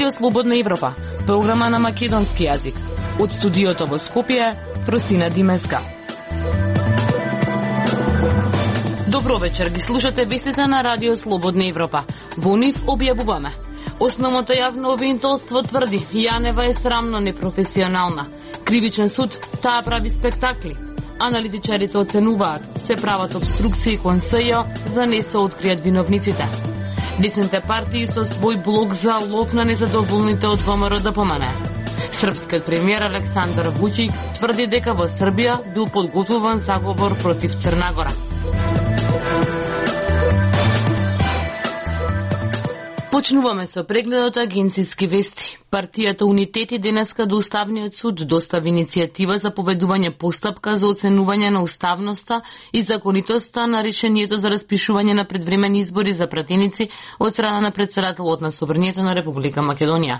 Радио Слободна Европа, програма на македонски јазик. Од студиото во Скопје, Тросина Димеска. Добро вечер, ги слушате вестите на Радио Слободна Европа. Во нив објавуваме. Основното јавно обвинителство тврди Јанева е срамно непрофесионална. Кривичен суд, таа прави спектакли. Аналитичарите оценуваат се прават обструкции кон СЈО за да не се откријат виновниците. Десните партии со свој блок за лов на незадоволните од ВМРО ДПМН. Српскиот премиер Александар Вучик тврди дека во Србија бил подготвуван заговор против Црна Гора. Почнуваме со прегледот агенцијски вести. Партијата Унитети денеска до Уставниот суд достави иницијатива за поведување постапка за оценување на уставноста и законитоста на решението за распишување на предвремени избори за пратеници од страна на претседателот на Собранието на Република Македонија.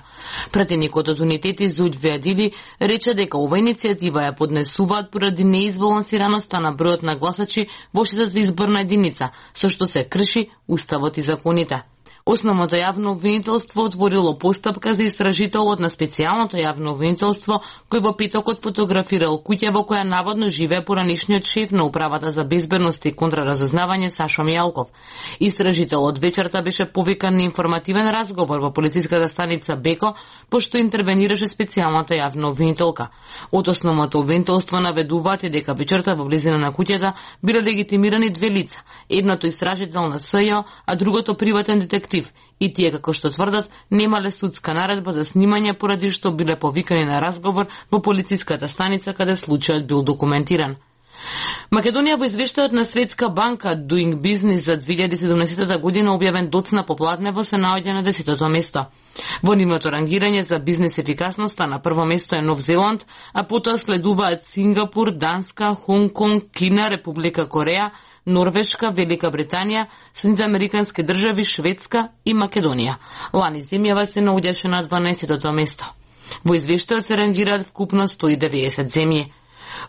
Пратеникот од Унитети Зуд Веадили рече дека ова иницијатива ја поднесуваат поради неизбалансираноста на бројот на гласачи во шестата изборна единица, со што се крши уставот и законите. Основното јавно обвинителство отворило постапка за истражителот на специјалното јавно обвинителство, кој во петокот фотографирал куќа во која наводно живее поранишниот шеф на Управата за безбедност и контраразузнавање Сашо Мијалков. Истражителот вечерта беше повикан на информативен разговор во полициската станица Беко, пошто интервенираше специјалната јавна обвинителка. Од основното обвинителство наведуваат и дека вечерта во близина на куќата биле легитимирани две лица, едното истражител на СЈО, а другото приватен детектив. И тие, како што тврдат, немале судска наредба за снимање поради што биле повикани на разговор во полициската станица каде случајот бил документиран. Македонија во извештајот на Светска банка Doing Business за 2017 година објавен доцна по Платнево се наоѓа на 10-то место. Во нивното рангирање за бизнес ефикасноста на прво место е Нов Зеланд, а потоа следуваат Сингапур, Данска, Хонг Конг, Кина, Република Кореја, Норвешка, Велика Британија, Соединените американски држави, Шведска и Македонија. Лани земјава се наоѓаше на 12-то место. Во извештајот се рангираат вкупно 190 земји.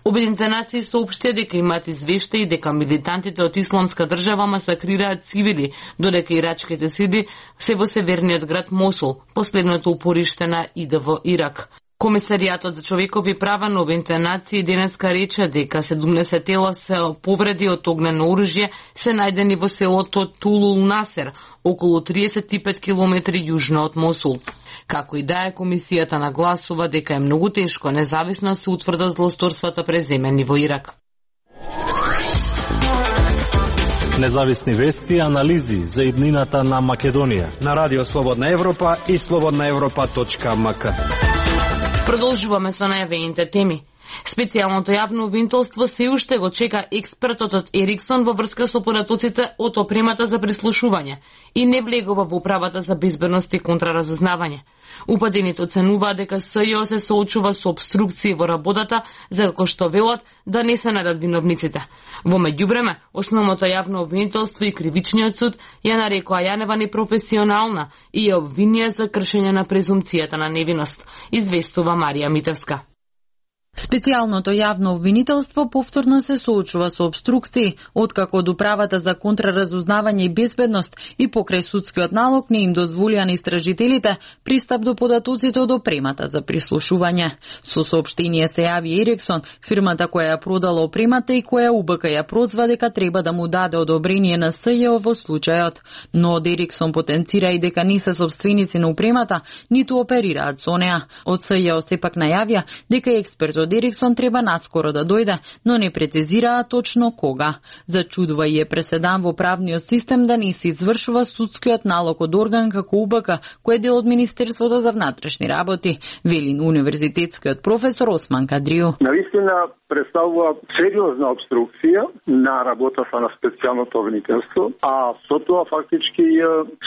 Обединените нации соопштија дека имаат извештаи дека милитантите од Исламска држава масакрираат цивили, додека ирачките сили се во северниот град Мосул, последното упориште на ИДВ Ирак. Комесаријатот за човекови права на Обединените нации денеска рече дека 70 тела се повреди од огнено оружје се најдени во селото Тулул Насер, околу 35 километри јужно од Мосул. Како и да е, комисијата нагласува дека е многу тешко независно се утврдат злосторствата преземени во Ирак. Независни вести и анализи за иднината на Македонија на Радио Слободна Европа и slobodnaevropa.mk. Продолжуваме со најавените теми. Специјалното јавно обвинителство се уште го чека експертот од Ериксон во врска со податоците од опремата за прислушување и не влегува во Управата за безбедност и контраразузнавање. Упадените оценуваат дека СЈО се соочува со обструкции во работата, за како што велат да не се најдат виновниците. Во меѓувреме, основното јавно обвинителство и кривичниот суд ја нарекоа Јанева непрофесионална и ја обвинија за кршење на презумцијата на невиност, известува Марија Митевска. Специјалното јавно обвинителство повторно се соочува со обструкции, откако од Управата за контраразузнавање и безбедност и покрај судскиот налог не им дозволија на истражителите пристап до податоците од опремата за прислушување. Со соопштение се јави Ериксон, фирмата која ја продала опремата и која УБК ја прозва дека треба да му даде одобрение на СЈО во случајот. Но од Ериксон потенцира и дека не се собственици на опремата, ниту оперираат со неа. Од СЈО сепак најавија дека експертот Ериксон треба наскоро да дојде, но не прецизираа точно кога. Зачудува и е преседан во правниот систем да не се извршува судскиот налог од орган како УБК, кој е дел од Министерството за внатрешни работи, вели универзитетскиот професор Осман Кадрију. Навистина представува сериозна обструкција на работата на специјалното обвинителство, а со тоа фактички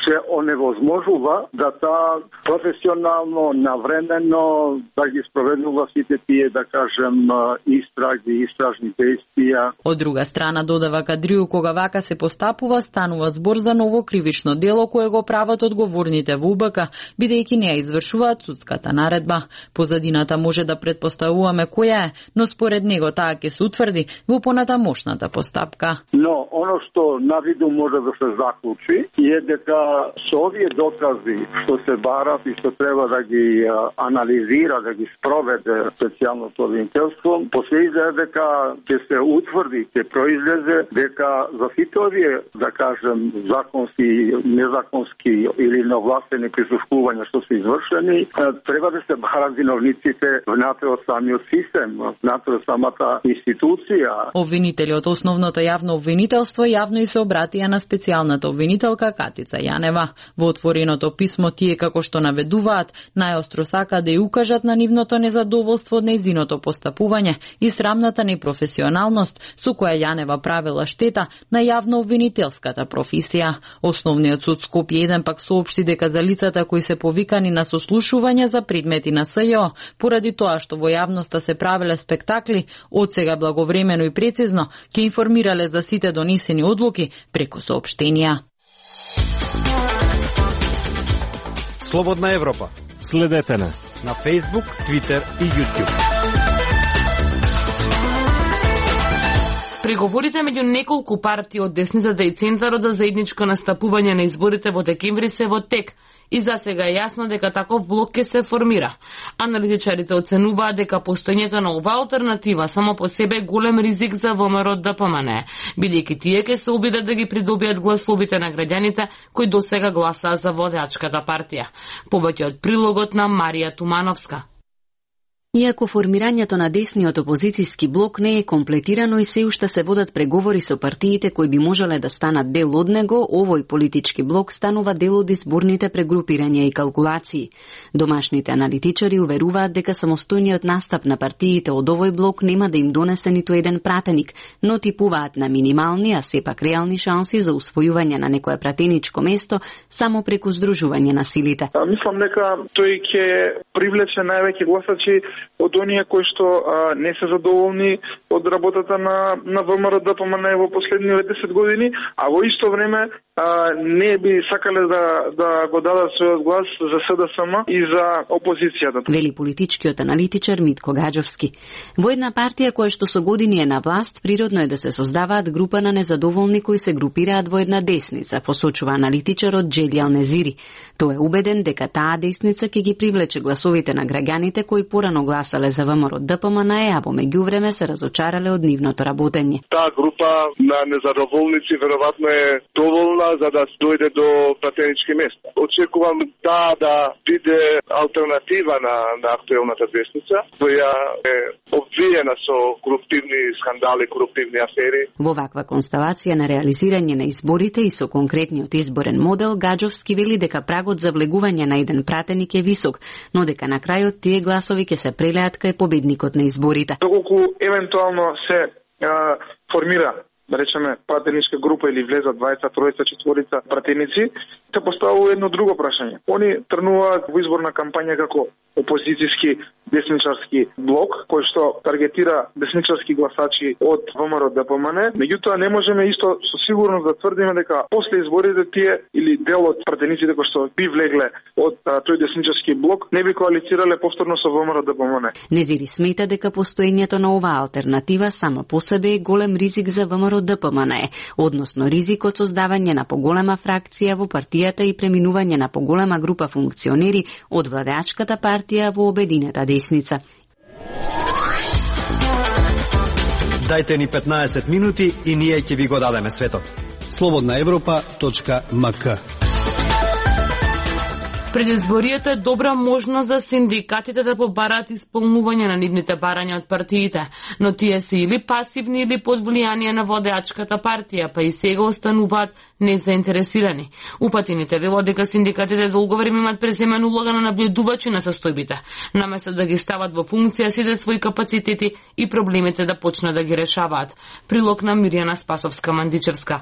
се оневозможува да таа професионално, навремено да ги спроведува сите тие, да кажем, истраги, истражни действија. Од друга страна, додава Кадрију, кога вака се постапува, станува збор за ново кривично дело кое го прават одговорните во УБК, бидејќи не ја извршуваат судската наредба. Позадината може да претпоставуваме која е, но според него таа ќе се утврди во понатамошната постапка. Но оно што на виду може да се заклучи е дека со овие докази што се барат и што треба да ги анализира, да ги спроведе специјалното обвинителство, после изгледа дека ќе се утврди, ќе произлезе дека за сите овие, да кажем, законски, незаконски или неовластени присуствувања што се извршени, треба да се барат виновниците внатре од самиот систем, внатре од самата институција. Обвинители од основното јавно обвинителство јавно и се обратија на специјалната обвинителка Катица Јанева. Во отвореното писмо тие, како што наведуваат, најостро сака да ја укажат на нивното незадоволство од нејзиното постапување и срамната непрофесионалност со која Јанева правила штета на јавно обвинителската професија. Основниот суд Скопје 1 пак соопшти дека за лицата кои се повикани на сослушување за предмети на СЈО, поради тоа што во јавноста се правеле спектакли, од сега благовремено и прецизно ќе информирале за сите донесени одлуки преку соопштенија. Слободна Европа. Следете на Facebook, Twitter и YouTube. Преговорите меѓу неколку партии од десницата и центарот за заедничко настапување на изборите во декември се во тек и за сега е јасно дека таков блок ќе се формира. Аналитичарите оценуваат дека постоењето на оваа алтернатива само по себе е голем ризик за ВМРО-ДПМН, бидејќи тие ќе се обидат да ги придобијат гласовите на граѓаните кои досега гласаа за водачката партија. Повеќе од прилогот на Марија Тумановска. Иако формирањето на десниот опозицијски блок не е комплетирано и се уште се водат преговори со партиите кои би можеле да станат дел од него, овој политички блок станува дел од изборните прегрупирања и калкулации. Домашните аналитичари уверуваат дека самостојниот настап на партиите од овој блок нема да им донесе ниту еден пратеник, но типуваат на минимални, а сепак реални шанси за усвојување на некое пратеничко место само преку здружување на силите. Мислам дека тој ќе привлече највеќе гласачи од оние кои што не се задоволни од работата на ВМРО-ДПМН во последниве 10 години, а во исто време не би сакале да го дадат својот глас за СДСМ и за опозицијата. Вели политичкиот аналитичар Митко Гаджовски. Во една партија која што со години е на власт, природно е да се создаваат група на незадоволни кои се групираат во една десница, посочува аналитичарот Джелјал Незири. Тој е убеден дека таа десница ќе ги привлече гласовите на граѓаните кои порано гласале за ВМРО-ДПМН, а во меѓувреме се разочарале од нивното работење. Таа група на незадоволници веројатно е доволна за да дојде до пратенички места. Очекувам да биде алтернатива на актуелната десница, која е обвиена со коруптивни скандали, коруптивни афери. Во ваква констелација на реализирање на изборите и со конкретниот изборен модел, Гаджовски вели дека прагот за влегување на еден пратеник е висок, но дека на крајот тие гласови ќе се прелеат кај победникот на изборите. Доколку евентуално се формира, да речеме, пратеничка група или влезат 20, 30, 40 пратеници, се поставува едно друго прашање. Они тргнуваат во изборна кампања како опозицијски десничарски блок, кој што таргетира десничарски гласачи од ВМРО-ДПМН, меѓутоа не можеме исто со сигурност да тврдиме дека после изборите тие или дел од пратениците кои што би влегле од тој десничарски блок не би коалицирале повторно со ВМРО-ДПМН. Незири смета дека постоењето на оваа алтернатива само по себе е голем ризик за ВМРО-ДПМН, односно ризик од создавање на поголема фракција во партијата и преминување на поголема група функционери од владеачката партија во обединета десница. Дајте ни 15 минути и ние ќе ви го дадеме светот. slobodnaevropa.mk. Предизборието е добра можност за синдикатите да побараат исполнување на нивните барања од партиите, но тие се или пасивни или под влијание на водеачката партија, па и сега остануваат незаинтересирани. Упатените велат дека синдикатите долго време имаат преземена улога на наблюдувачи на состојбите, наместо да ги стават во функција сите своји капацитети и проблемите да почнат да ги решаваат. Прилог на Мирјана Спасовска-Мандичевска.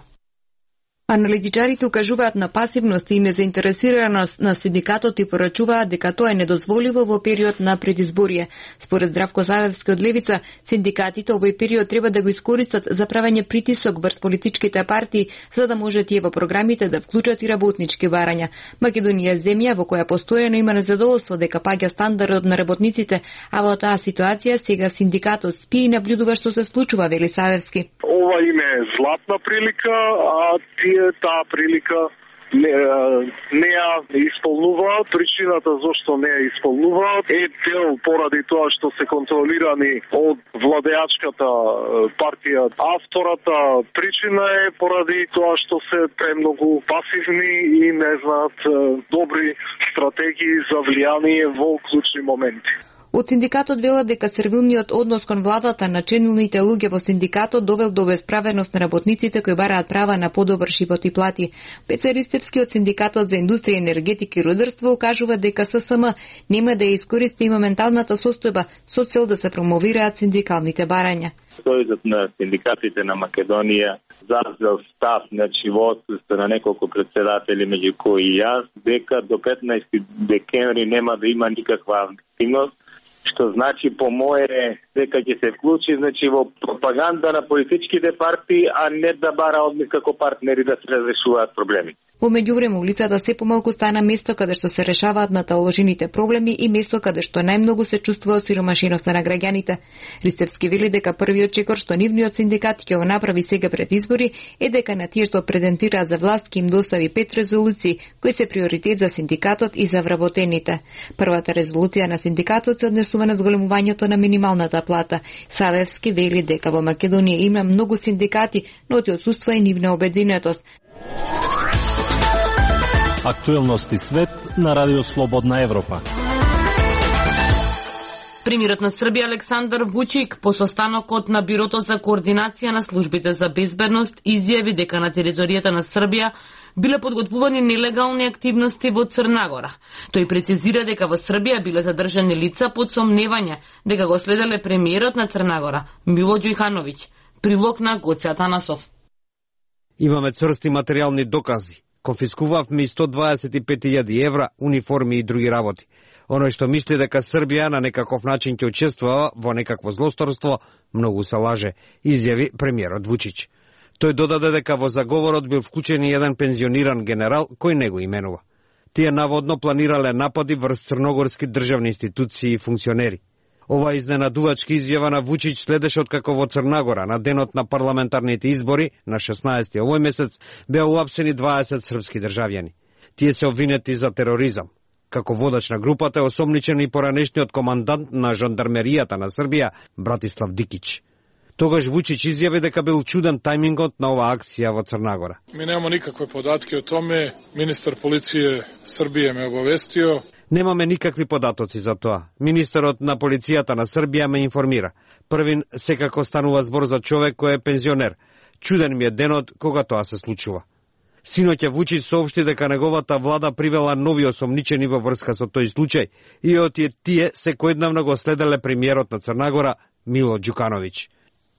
Аналитичарите укажуваат на пасивност и незаинтересираност на синдикатот и порачуваат дека тоа е недозволиво во период на предизборие. Според Здравко Завевски од Левица, синдикатите овој период треба да го искористат за правење притисок врз политичките партии, за да може тие во програмите да вклучат и работнички барања. Македонија е земја во која постојано има незадоволство дека паѓа стандардот на работниците, а во таа ситуација сега синдикатот спи и наблюдува што се случува, вели Савевски. Ова име е златна прилика, а таа прилика не ја исполнуваат. Причината зошто не ја исполнуваат е дел поради тоа што се контролирани од владеачката партија. А втората причина е поради тоа што се премногу пасивни и не знаат добри стратегии за влијание во клучни моменти. Од синдикатот велат дека сервилниот однос кон владата на члените луѓе во синдикатот довел до безправедност на работниците кои бараат права на подобар живот и плати. Пеце Ристевски од синдикатот за индустрија, енергетика и рударство укажува дека ССМ нема да ја искористи моменталната состојба со цел да се промовираат синдикалните барања. Сојузот на синдикатите на Македонија зазел став, во отсуство на неколку председатели, меѓу кои и јас, дека до 15 декември нема да има никаква активност, што значи по мое дека ќе се вклучи во пропаганда на политичките партии, а не да бара од нив како партнери да се разрешуваат проблеми. Во меѓувреме улицата се помалку стана место каде што се решаваат наталожените проблеми и место каде што најмногу се чувствува осиромашеноста на граѓаните. Ристевски вели дека првиот чекор што нивниот синдикат ќе го направи сега пред избори е дека на тие што претендираат за власт ќе им достави 5 резолуции кои се приоритет за синдикатот и за вработените. Првата резолуција на синдикатот се однесува на зголемувањето на минималната плата. Савевски вели дека во Македонија има многу синдикати, но ти отсуства и нивна обединетост. Актуелности свет на Радио Слободна Европа. Премиерот на Србија Александар Вучик по состанокот на Бирото за координација на службите за безбедност изјави дека на територијата на Србија биле подготвувани нелегални активности во Црна Гора. Тој прецизира дека во Србија биле задржани лица под сомневање дека го следеле премиерот на Црна Гора Мило Ѓукановиќ. Прилог на Гоце Атанасов. Имаме црсти материјални докази. Конфискувавме и 125.000 евра, униформи и други работи. Оној што мисли дека Србија на некаков начин ќе учествува во некакво злосторство, многу се лаже, изјави премиерот Вучич. Тој додаде дека во заговорот бил вклучен и еден пензиониран генерал кој не го именува. Тие наводно планирале напади врз црногорски државни институции и функционери. Ова изненадувачка изјава на Вучич следеше откако во Црна Гора на денот на парламентарните избори на 16 овој месец беа уапсени 20 српски државјани. Тие се обвинети за тероризам. Како водач на групата е осомничен и поранешниот командант на жандармеријата на Србија Братислав Дикич. Тогаш Вучич изјави дека бил чуден тајмингот на оваа акција во Црна Гора. Ми немamo никакве податки о томе. Министар полиције Србија ме обавестио. Немаме никакви податоци за тоа. Министерот на полицијата на Србија ме информира. Првин секако станува збор за човек кој е пензионер. Чуден ми е денот кога тоа се случува. Синоќа Вучич соопшти дека неговата влада привела нови осомничени во врска со тој случај и од тие секојдневно го следеле премиерот на Црна Гора Мило Ѓукановиќ.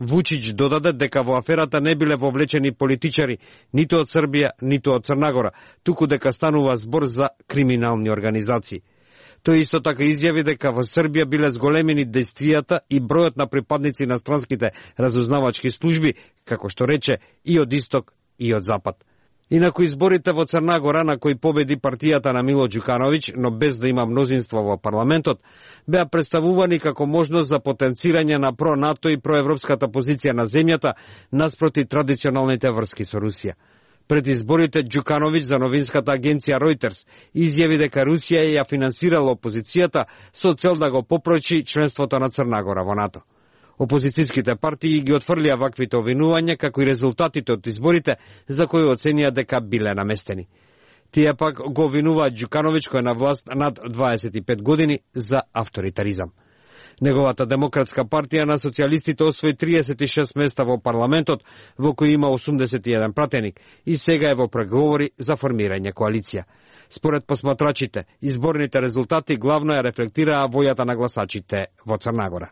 Вучич додаде дека во аферата не биле вовлечени политичари ниту од Србија, ниту од Црна Гора, туку дека станува збор за криминални организации. Тој исто така изјави дека во Србија биле зголемени действијата и бројот на припадници на странските разузнавачки служби, како што рече, и од исток и од запад. Инаку изборите во Црна Гора, на кои победи партијата на Мило Ѓукановиќ, но без да има мнозинство во парламентот, беа представувани како можност за потенцирање на про-НАТО и проевропската позиција на земјата наспроти традиционалните врски со Русија. Пред изборите Ѓукановиќ за новинската агенција Reuters изјави дека Русија ја финансирала опозицијата со цел да го попрочи членството на Црна Гора во НАТО. Опозицијските партии ги отфрлија ваквите обвинувања, како и резултатите од изборите, за кои оценија дека биле наместени. Тие пак го обвинуваат Ѓукановиќ, кој е на власт над 25 години, за авторитаризам. Неговата демократска партија на социјалистите освои 36 места во парламентот, во кој има 81 пратеник, и сега е во преговори за формирање коалиција. Според посматрачите, изборните резултати главно ја рефлектираа војата на гласачите во Црна Гора.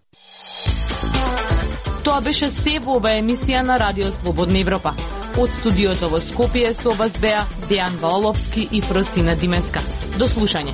Тоа беше се во оваа емисија на Радио Слободна Европа. Од студиото во Скопје со вас беа Дејан Ваоловски и Фростина Димеска. До слушање.